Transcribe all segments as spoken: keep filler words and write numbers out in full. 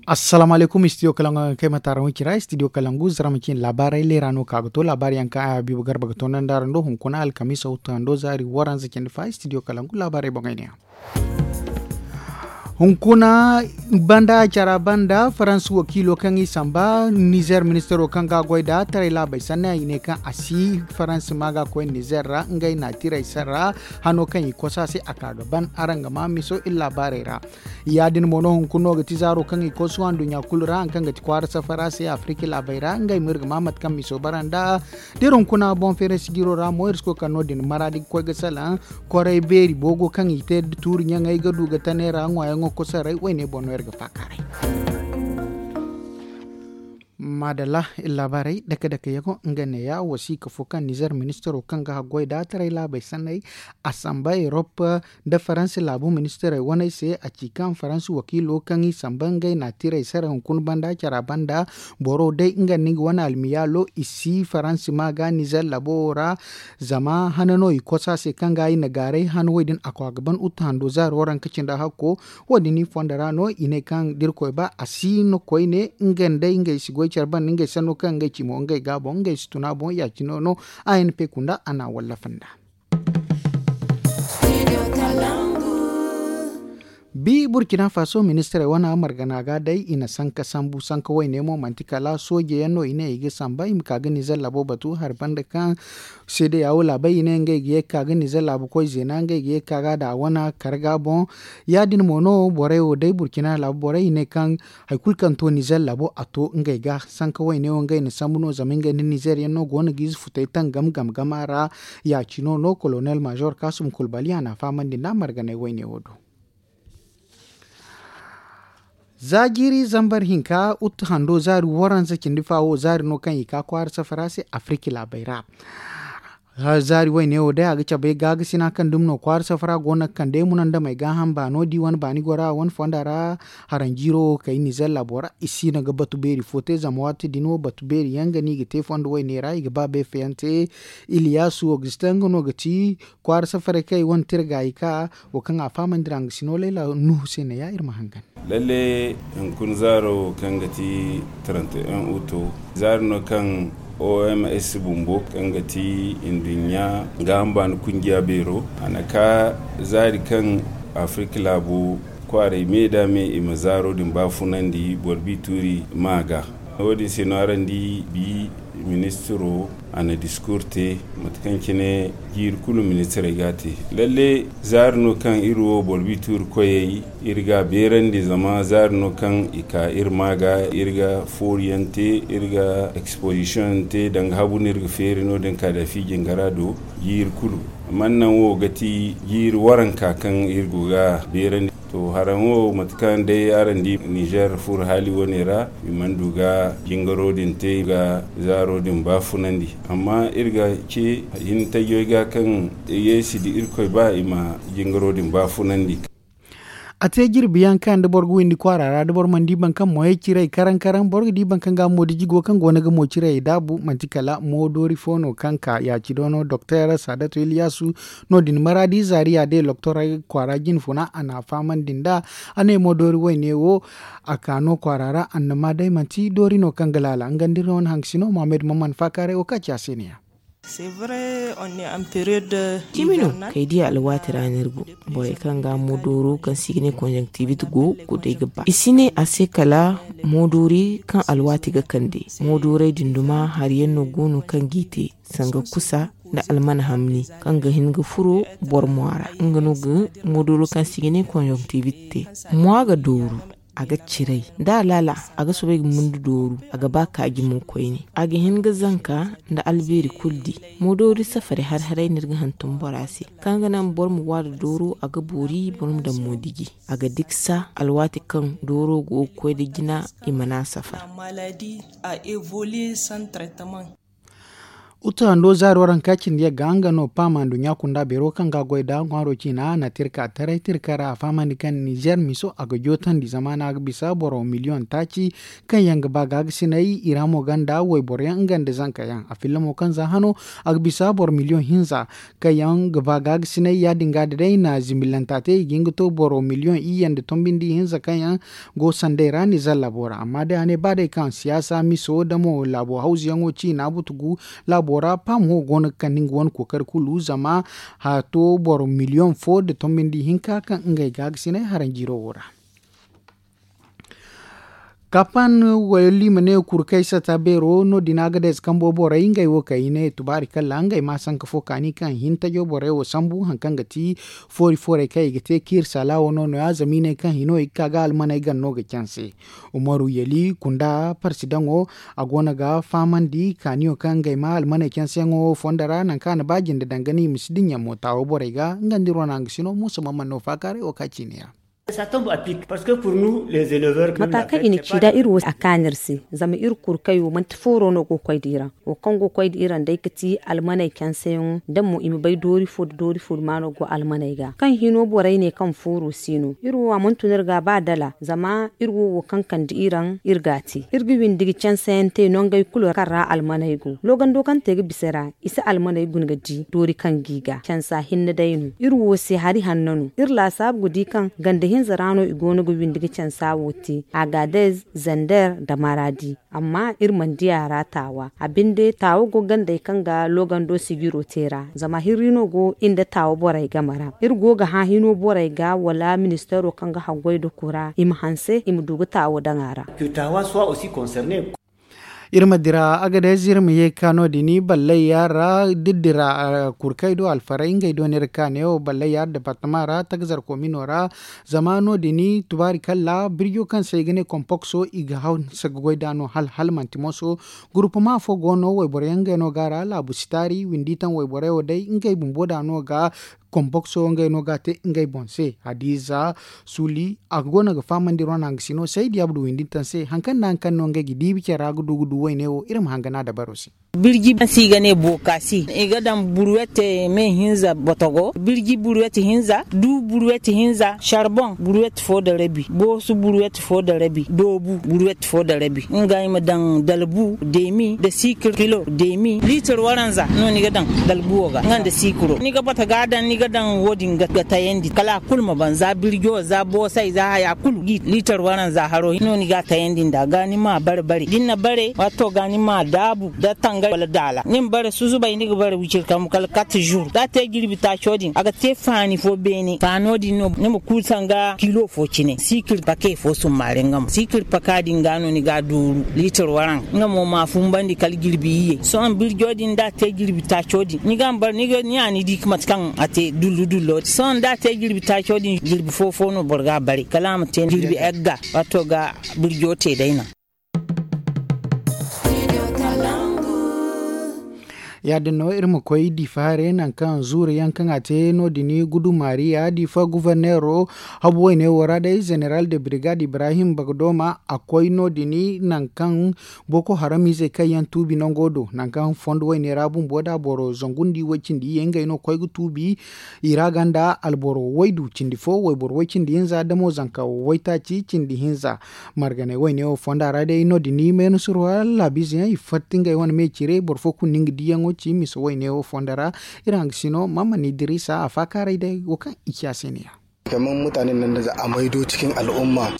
Assalaamu alaykum, studio kalangu kaŋ ay ma taara wancira, studio kalangu zarma cine laabaarey leera no ka ga to laabaari yaŋ kaŋ ay habiibu garba ga toonandi araŋ do hunkuna alkamiisa wuttu hando zaari waranza cindi fa studio kalangu laabaarey boŋey ne yaŋ. Hunkuna banda cara banda faransa wakiilo kaŋ i samba nizer ministaro kaŋ ga a goy da taray laabey sanne i ne kaŋ a si faransa ma ga koy nizer ra ngey na tiray sarra hano kaŋ i kosa se a ka ga ban araŋ ga ma miso iri laabaarey ra. Ya- din mo no hunkuna no ga ti zaaro kaŋ i kosu a nduɲɲa kulu ra hari kaŋ ga ti kwaara safara se afirika laabey ra ngey mo iri ga ma mate kaŋ miso bara nd'a. Da iri hunkuna boŋ feeray sijiro ra mo iri si koy kala no- din maraadi ga koy ga salaŋ koray beeri boogo kaŋ i te da tuuri ɲaŋey ga du ga tane ra ŋwaayaŋo kosaray wayne boŋ no iri ga faakaaray. Maadalla, iri laabaarey dake dake yaŋo nga neeya wasiika fo kaŋ nizer ministaro kaŋ ga haggoy da taray laabey sanney a samba erop nda faransa laabu ministarey waney se a ci kaŋ faransa wakiilo kaŋ i samba ngey na tiray sara hunkuna banda cara banda boro day nga nda nga wane almiyaalo i si faransa ma ga nizer laabo wo ra. Zama hana no i kosa se kaŋ ga i na gaaray hana wo- din a ko a ga ban utu hando zaari waranka cindi hakko. Wo- din i fondo ra no i ne kaŋ da irkoy ba a si no koyne nga nda ngey si goy care banda ngey sanno kaŋ ngey ci mo ngey ga boŋ ngey si tun a boŋ ya- cine no. A n p kunda a na a wallafa nd'a. Bi burkina faso ministirey wane margana ga day i na sanka sambu sanka wayne mo manti kala sooje yaŋ no i ne i ga samba i ma ka ga nizer laabo batu hari banda kaŋ seede ya wo laabey i ne ngey ga ye ga ka ga nizer laabu koy zeena ngey ga ye ga ka ga da a wane karga boŋ. Ya- din mo no borey wo day burkina laabu borey i ne kaŋ hari kulu kaŋ to nizer laabo a to ngey ga sanka wayne wo ngey na sambu no zama ngey nda nizer yaŋ no go no ga ize futey tangam gam gama ra. Ya- cino no kolonel major kasum kulbali a na a fahamandi nd'a marganay wayne wo do. Za jiiri zambar hinka utu hando zaari waranza cindi fa wo zaari no kaŋ i ka kwaara safara se afirika laabey ra. Zaari wayne wo day a ga cabe gaagasi no kaŋ dumi no kwaara safara go no ga kande munandamey gaaham baano di wane baani gora wane fonda ra. Haranjiiro wo kay nizer laabo ra i si no ga batu beeri fo te zama waati din wo batu beeri yaŋ ga no i ga te fondo wayne ra i ga ba beefeyaŋ te. Iliyasu augustin nga no ga ti kwaara safaray kaŋ i wane tira gaayi ka wo kaŋ a fahamandi ra nga si no layla nuhu se ne ya iri ma hangan. Lalle hunkuna zaaro kaŋ ga ti trente et un uto zaari no kaŋ oms bumbo kaŋ ga ti nduɲɲa gaaham baani kungiya beero a na ka zaari kaŋ afirka laabo kwaaray me da me i ma zaaro din baafunandi boro bi tuuri ma ga. Wo- din se no araŋ di bi ministiro a na diskur te mate kaŋ cine jiiri kulu ministirey ga a te. Lalle zaari no kaŋ iri wo boro bi tuuri koyey iri ga a beerandi zama zaari no kaŋ i ka iri ma ga iri ga fooriyaŋ te iri ga exposition te danga habu no iri ga feeri no- din ka da fi jingara do jiiri kulu. Amma naŋ wo ga ti jiiri waranka kaŋ iri go ga a beerandi. To haraŋ wo mate kaŋ day araŋ di nizer furo haali wane ra i mana du ga jingaro din te ga zaaro din baafunandi amma iri ga ce hintajey ga kaŋ yeesi da irkoy ba i ma jingaro din baafunandi. A te jirbi yaŋ kaŋ da boro ga windi kwaara ra da boro mana di boro kaŋ mo ye ciray karaŋ karaŋ boro ga di boro kaŋ ga mo diji go kaŋ go no ga mo ciray daabu manti kala mo doori fo no kaŋ ka ya ci doono doktor saadatu iliyasu. No- din maraadi zaariya day loktoray kwaara jine funa a na a fahamandi nd'a. A ne mo doori wayne wo a ka no kwaara ra annama day manti doori no kaŋ ga laala nga nda iri no wane haŋ ga si no mohammed maman faakaaray wo kaŋ ci a se ne ya. Cimi no kay di alwaati ra no iri go. Borey kaŋ ga mo dooro kaŋ se i ga ne konjoŋ tiibit go kulu day ga ba i si ne a se kala mo doori kaŋ alwaati ga kande. Mo doorey din duma hari yaŋ no go no kaŋ g'i te sanga kusa nda almana hamni kaŋ ga hin ga furo boro mo a ra nga no ga mo dooro kaŋ se i ga ne konjoŋ tiibit te. Mo a ga dooru a ga ciray da a laala a ga soobay ga mundu dooru a ga ba kaaji mo koyne. A ga hin ga zanka nda albeeri kulu di. Mo doori safari har haray no iri ga hantum bora se kaŋ ga naŋ boro ma waada dooro a ga boori boro ma daŋ mo diji. A ga diksa alwaati kaŋ dooro go ga koy nda jina i mana safar. Utu hando zaaro ranka cindi yagga nga no paama nduɲɲa kunda beero kaŋ ga a goy nda ŋwaaro ciina a na tirka taray tirka ra a fahamandi kaŋ nizer miso a ga jootandi zama no a ga bisa boro miliyoŋ taaci kaŋ yaŋ ga ba gaagasinay i ra mo gonda wayboro yaŋ nga nda zanka yaŋ a filla mo kaŋ za hano a ga bisa boro miliyoŋ hinza kaŋ yaŋ ga ba gaagasinay ya- din ga da day na zimbilanta te i ga hin ga to boro miliyoŋ iyye nda tombindi hinza kaŋ yaŋ go sanday ra nizer laabo ra amma day a ne ba day kaŋ siyaasa miso da mo laabo hawzuyaŋo ciina butugu laabo ra paamo go no ga kande nga wane kookari kulu zama haato boro miliyoŋ fo nda tombindi hinka kaŋ ngey ga a ga sinay haranjiiro wo ra. Kapan wayalli ma ne kurkay sata beero no- din a ga day za kambo borey ngey wo kay i ne tubaari kalla ngey ma sanka fo kaani kaŋ hin tajo borey wo sambu hari kaŋ ga ti foori foorey kaŋ i ga te kiiri saala wo no- no- ya zama i ne kaŋ hino i ga ka ga almaney gana no ga canse. Umaru yali kunda parsidaŋo a go no ga fahamandi kaaniyo kaŋ ngey ma almaney canseyaŋo fondo ra nangu kaŋ a na ba jinde danga no i ma si dinya mo taawo borey ga nga nda iri wane hangasino muusa mamman no faakaaray wo ka ciine ra. Mataakaŋ i na ci da iri wo a kaanu iri se zama iri kuru kaŋ i wo manti fooro no go ga koy da iri ra wo kaŋ go ga koy da iri ra day ga ti almaney canseyaŋo da mo i ma bay doori fo nda doori fo maano go almaney ga kaŋ hino borey ne kaŋ fooro si no iri wo a mana tun iri ga ba dala zama iri wo wo kaŋ kande iri ra iri ga a te iri ga windi ga canseyaŋ te nangey kulu kaŋ ra almaney go loogando kaŋ te ga bisa ra i si almaney guna ga di doori kaŋ ga i ga cansa hinne day no iri wo se hari hanno no iri laasaabu ga di kaŋ ganda hinza ra no i go no ga windi ga cansa wo te agadez zander nda maraadi amma iri mana di a ra taawa a binde taawa go gandey kaŋ ga loogando sijiro te ra zama hirri no go i nda taawa borey game ra iri go ga hã hino borey ga wala ministeero kaŋ ga haggoy nda kura i ma hanse i ma du ga taawa daŋ a ra. Iri ma dira agadez iri ma ye ga ka no- din ballay yaara da iri dira kurkey do alfaray ngey do no iri ga ka neewo ballay yaara departama ra takzar komino ra. Zama no- din tubaari kalla birjo kaŋ se i ga ne kompokso i ga hanse ga goy nd'a no hala hala manti moso. Gurupama fo go no wayboro yaŋ ngey no ga a ra laabu si taari windi taŋ wayborey wo day ngey bumbo nd'a no ga kompokso ngey no ga a te ngey boŋ se hadiiza suuli a go no ga fahamandi iri wane hangasino saydi abdu windi taŋ se hari kaŋ nda hari kaŋ no ngey ga diibi care ra ga du ga du wayne wo iri ma hangana dabaro se. Birji kaŋ se i ga ne bookasi i ga daŋ burwet me hinza botogo birji burwet hinza du burwet hinza sarboŋ burwet fo nda rabi boosu burwet fo nda rabi doobu burwet fo nda rabi nga i ma daŋ dalbu deemi nda siikir kilo deemi liitir waranza no ni ga daŋ dalbuwo ga nga nda siikiro ni ga bata ga a daŋ ni ga daŋ wo- din ga tayandi kala a kulu ma baŋ za birjo za boosay za haya kulu liitir waranza haro no ni ga a tayandi nd'a ga ni ma a bare bare da ni na bare waato ga ni ma a daabu nda tangari wala daala ni ma bare susubay ni ga bare wiciri kambu kala kate zuru da a te jirbi taaco din a ga te faani fo beene faano din no ni ma kuu sanga kiilo fo cine siikir pake fo summaare nga mo siikir paka din ga no ni ga a dooru liitir waranza nga mo ma a fumbandi kala jirbi iyye sohõ birjo din da a te jirbi taaco din ni ga a ma bare ni ga ni a ni di mate kaŋ a te dullu dullo sohõ da a te jirbi taaco din jirbi fo fo no boro ga a bare kala a ma te jirbi egga waato ga birjo te day no. Ya- din no iri ma koy diifa hare nangu kaŋ zuuru yaŋ kaŋ a te no- din gudu maariya diifa guverneero habu wayne wo ra day zeneral de birigad ibrahim bagdoma a koy no- din nangu kaŋ boko haram izey kaŋ yaŋ tuubi nango do nangu kaŋ fondo wayne ra bumbo nda boro zangu nda i way cindi iyye ngey no koy ga tuubi i ra ga nda alboro waydu cindi fo wayboro way cindi hinza damo zanka waytaaci cindi hinza. Marganey wayne wo fonda ra day no- din meena surwa laabiize yaŋ i fatta ngey wane me cire boro fo kulu no nga diyaŋo ci misa wayne wo fonda ra. Iri hangasino mamman idiriisa a faakaaray day wo kaŋ i ci a se ne ya.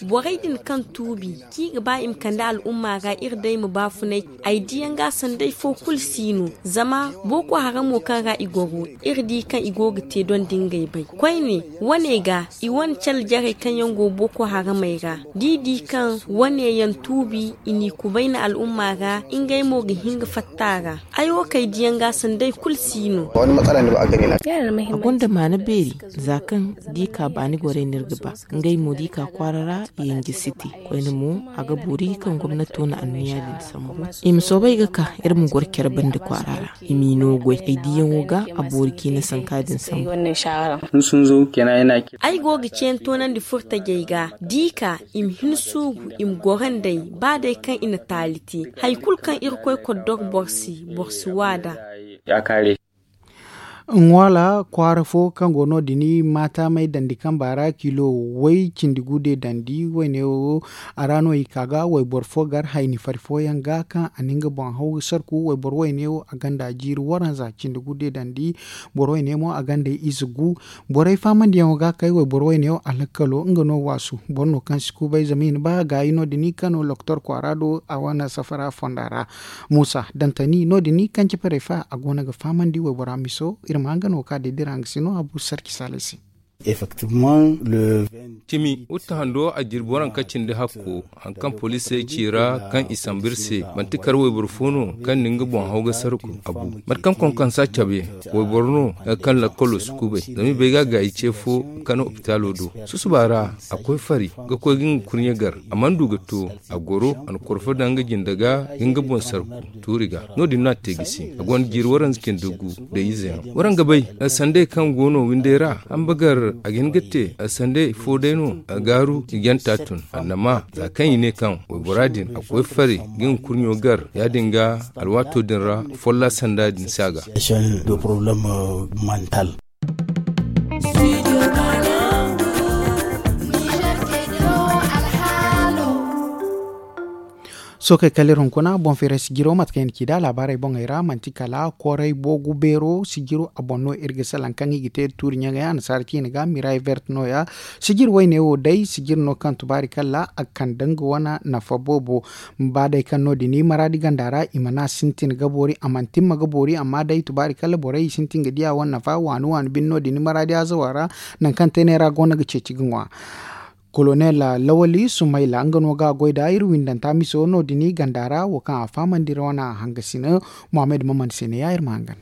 Borey din kaŋ tuubi kaŋ i ga ba i ma kande al'umma ra iri day ma baafunay ay diyaŋ ga sanday fo kulu si no. Zama boko haramo kaŋ ra i goro iri di kaŋ i go ga te dondi ngey bay koyne wane ga i wane cale jarey kaŋ yaŋ go boko haramey ra da i di kaŋ wane yaŋ tuubi i n'i kubayna al'umma ra ngey mo ga hin ga fatta a ra. Ay wo kay diyaŋ ga sanday kulu si no. A gonda maana beeri za kaŋ da i ka baani gorey no iri ga ba ngey mo da i ka kwaara ra i hinja si te koyne mo a ga boori kaŋ gomnato na anniya din sambu i ma soobay ga ka iri ma goro care banda kwaara ra i m'i no goy ay diyaŋo ga a boori ciina sanka din sambu. Ay go ga ceeni toonandi furtajey ga da i ka i ma hin suuru i ma goro nd'ey ba day kaŋ i na taali te hari kulu kaŋ irkoy koddor boro se boro Suwada. Ŋwaala kwaara fo kaŋ go no- din maataamay dandi kamba ra kilo way cindi gu de dandi wayne wo. A ra no i ka ga wayboro fo gar hayni fari fooyaŋ ga kaŋ a na nga boŋ haw ga sarku wayboro wayne wo a gonda jiiri waranza cindi gu de dandi. Boro wayne mo a gonda ize gu. Borey faamandiyaŋo ga kay wayboro wayne wo a lakkalo nga no waasu boro no kaŋ si kubay zama i na ba gaayi no- din kano lokotor kwaara do a wane safara fonda ra. Muusa dantani no- din kaŋ ci parefa a go no ga fahamandi waybora miso iri ma nga no ka day dira nga si no a bu sarci saalay se. Cimi uta hando a jirbi waranka cindi hakko haŋ kaŋ poliisey ci ra kaŋ i sambu iri se manti kar wayboro fo no kaŋ na nga boŋ haw ga sarku a bu. Mate kaŋ konkonsa cabe wayboro no kaŋ lakkalo si kubay zama i bay ga a gaayi ce fo kano opitaalo do. Susuba ra a koy fari ga koy ga nga kurɲe gar a mana du ga to. A goro a na korfo daŋ nga jinde ga ga nga boŋ sarku tuuri ga. No- din no a te gisi a gonda jiiri waranza cindi gu da ize yaŋ waraŋ ga bay. Sandey kaŋ go no windey ra hamba gar a ga hin ga te sandey fo day no a gaaru i janta tun annama za kaŋ i ne kaŋ waybora din a koy fari ga nga kurɲo gar ya- din ga alwaato din ra folla sanda din si a ga. Sookey kala iri hunkuna boŋ feeray sijiro mate kaŋ i na ci nd'a laabaarey boŋey ra manti kala koray boogu beero sijiro a boŋ no iri ga salaŋ kaŋ i ga te da tuuri ɲaŋey annasaara ciine ga miray vert nooya. Sijir wayne wo day sijir no kaŋ tubaari kala a kande nga wane nafa boobo. Ba day kaŋ no- din maraadi ganda ra i mana sintin ga boori a mana timma ga boori amma day tubaari kala borey i sintin ga di a wane nafa waani waani bine no- din maraadi azawa ra. Nangu kaŋ teeney ra go no ga ceeci ga ŋwa. Kolonel lawali sumayla nga no ga a goy nd'a iri windanta miso no- din ganda ra wo kaŋ a fahamandi iri wane hangasina. Muhammad maman se ne ya iri ma hangan.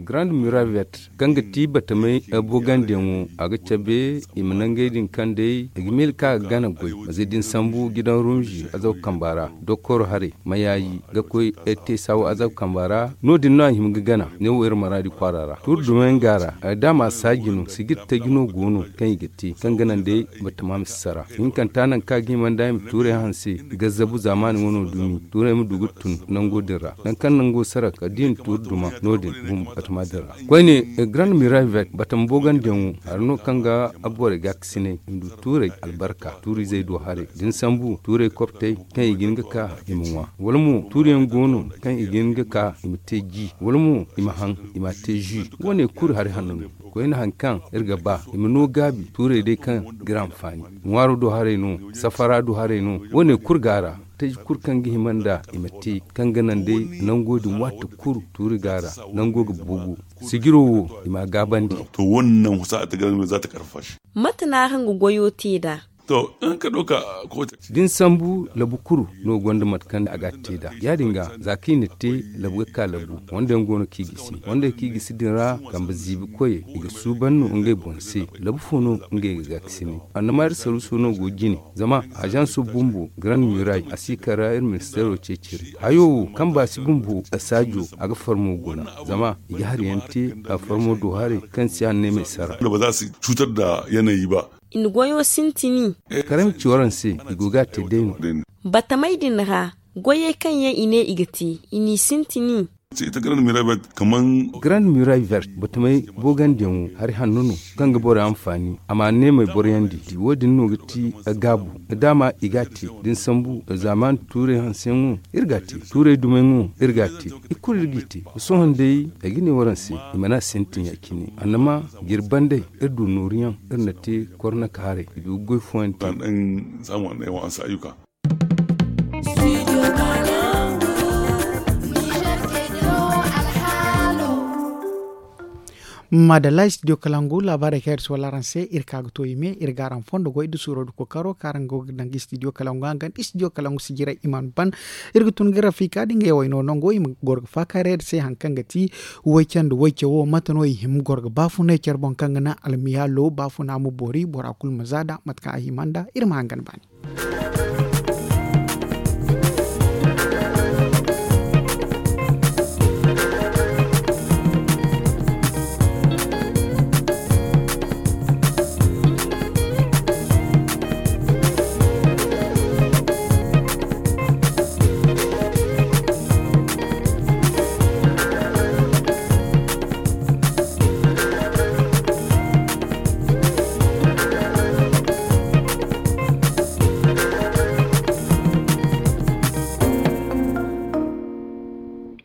Grand miravet kaŋ ga ti batamey bogandiyaŋo a ga cabe i ma nangey din kaŋ day i ga miila kaŋ a ga gana goy maze din sambu gidan rumzi azab kamba ra. Dokoro haray mayayi ga koy te saawo azab kamba ra. No- din no a hima ga gana ne wo iri maraadi kwaara ra tuuri dumayaŋ ga ra. Da a ma saaji no sijir taji no go no kaŋ i ga te kaŋ ga naŋ day batama ma si sara hinkanta nangu kaŋ a ga hima nd'a i ma tuurey hanse ga zabu zaamaani wano dumi tuurey ma du ga tun nango din ra. Nangu kaŋ nango sara kala da i na tuuri duma no- din bumbo batama din ra. Koyne grand miravet batama boogandiyaŋo hari no kaŋ ga borey gaakasinay i ma du tuurey albarka tuuri izey do haray da ni sambu tuurey koptey kaŋ i ga hin ga ka i ma ŋwa wala mo tuuriyaŋ go no kaŋ i ga hin ga ka i ma te ji wala mo i ma haŋ i ma a te ji. Wo- ne kulu hari hanno no. Koyne hari kaŋ iri ga ba i ma no gaabi tuurey day kaŋ ga iri anfaani ŋwaaro do haray no safara do haray no. Wo- ne kulu go a ra taji kulu kaŋ ga hima nd'a i ma te kaŋ ga naŋ day nango din waati kulu tuuri go a ra nango ga boobo sijiro wo i ma a gaabandi. To wo- ne naŋ husa a ta garan za ta karfa shi. Mate no araŋ ga goyo te nd'a? To da ni sambu labu kulu no gonda mate kaŋ a ga a te nd'a ya- din ga za kaŋ i na te labu ga ka labu wanda yaŋ go no kaŋ i gisi wanda yaŋ kaŋ i gisi din ra kambe ziibi koyey i ga suuban no ngey boŋ se. Labu fo no ngey ga gaakasinay annama iri saruuso no go jine zama ajanso bumbo grand miray a si kara iri ministeero ceeciri hayo wo kaŋ ba si bumbo a saajo a ga farmo guna zama i ga hari yaŋ te a farmo do haray kaŋ si hanne me sara. I na goyo sintini. Karaŋ ci waraŋ se i go ga a te day no. Batamey din ra goyey kaŋ yaŋ i ne i ga te i n'i sintini. Grand muraille vert batamey boogandiyaŋo hari hanno no kaŋ ga borey anfaani a ma neemey boroyandi. Wo- din no ga ti gaabu. Daama i ga a te da ni sambu zaamaani tuurey hanseyaŋo iri ga a te tuurey dumayŋo iri ga a te. I kulu iri g'i te. Sohõ day ay ga ne waraŋ se i mana sintin ya- cine annama jiri bandey iri du nooruyaŋ iri na te kornaka haray i du ga goy fooyaŋ te. Madalla studio kalangu laabaarey kaŋ iri si wala araŋ se iri ka ga to i me iri ga araŋ fondo goy da suuro da kookaro kaŋ araŋ go ga daŋ studio kalangu hangan studio kalangu si jiray i mana ban. Iri ga tun ga rafika da ngey wayno nango i ma goro ga faakaaray iri se hari kaŋ ga ti way care nda way care wo mate no i hima goro ga baafunay care boŋ kaŋ ga naŋ almiyaalo baafuna ma boori bora kulu ma za nd'a mate kaŋ a hima nd'a iri ma hangan baani.